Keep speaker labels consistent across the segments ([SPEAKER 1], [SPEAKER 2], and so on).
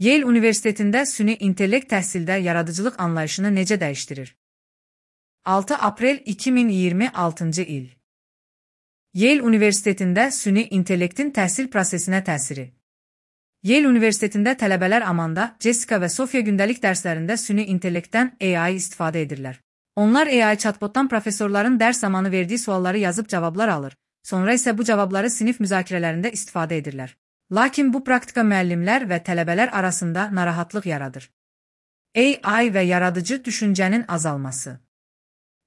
[SPEAKER 1] Yale Universitetində süni intellekt təhsildə yaradıcılıq anlayışını necə dəyişdirir? 6 aprel 2026-cı il. Yale Universitetində süni intellektin təhsil prosesinə təsiri. Yale Universitetində tələbələr Amanda, Jessica və Sofia gündəlik dərslərində süni intellektdən AI istifadə edirlər. Onlar AI chatbotdan professorların dərs zamanı verdiyi sualları yazıb cavablar alır, sonra isə bu cavabları sinif müzakirələrində istifadə edirlər. Lakin bu praktika müəllimlər və tələbələr arasında narahatlıq yaradır. AI və yaradıcı düşüncənin azalması.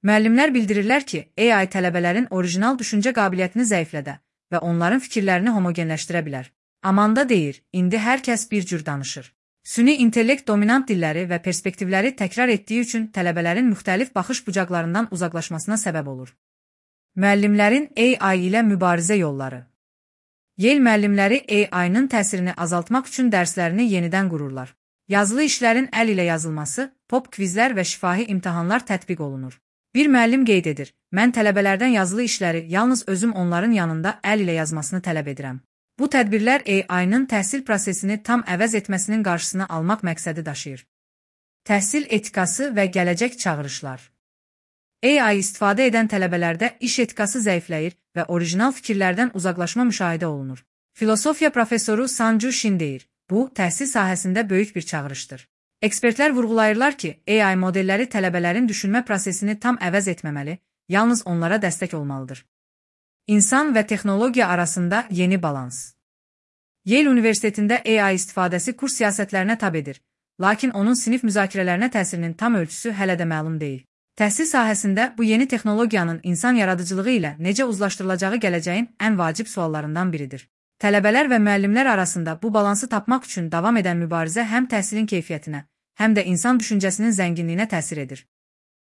[SPEAKER 1] Müəllimlər bildirirlər ki, AI tələbələrin orijinal düşüncə qabiliyyətini zəiflədə və onların fikirlərini homogenləşdirə bilər. Amanda deyir, indi hər kəs bir cür danışır. Süni intellekt dominant dilləri və perspektivləri təkrar etdiyi üçün tələbələrin müxtəlif baxış bucaqlarından uzaqlaşmasına səbəb olur. Müəllimlərin AI ilə mübarizə yolları. Yale müəllimləri AI-nın təsirini azaltmaq üçün dərslərini yenidən qururlar. Yazılı işlərin əl ilə yazılması, pop kvizlər və şifahi imtahanlar tətbiq olunur. Bir müəllim qeyd edir, mən tələbələrdən yazılı işləri yalnız özüm onların yanında əl ilə yazmasını tələb edirəm. Bu tədbirlər AI-nın təhsil prosesini tam əvəz etməsinin qarşısını almaq məqsədi daşıyır. Təhsil etikası və gələcək çağırışlar. AI istifadə edən tələbələrdə iş etikası zəifləyir və orijinal fikirlərdən uzaqlaşma müşahidə olunur. Filosofiya professoru Sanju Shin deyir, bu, təhsil sahəsində böyük bir çağırışdır. Ekspertlər vurğulayırlar ki, AI modelləri tələbələrin düşünmə prosesini tam əvəz etməməli, yalnız onlara dəstək olmalıdır. İnsan və texnologiya arasında yeni balans. Yale Universitetində AI istifadəsi kurs siyasətlərinə tab edir, lakin onun sinif müzakirələrinə təsirinin tam ölçüsü hələ də məlum deyil. Təhsil sahəsində bu yeni texnologiyanın insan yaradıcılığı ilə necə uzlaşdırılacağı gələcəyin ən vacib suallarından biridir. Tələbələr və müəllimlər arasında bu balansı tapmaq üçün davam edən mübarizə həm təhsilin keyfiyyətinə, həm də insan düşüncəsinin zənginliyinə təsir edir.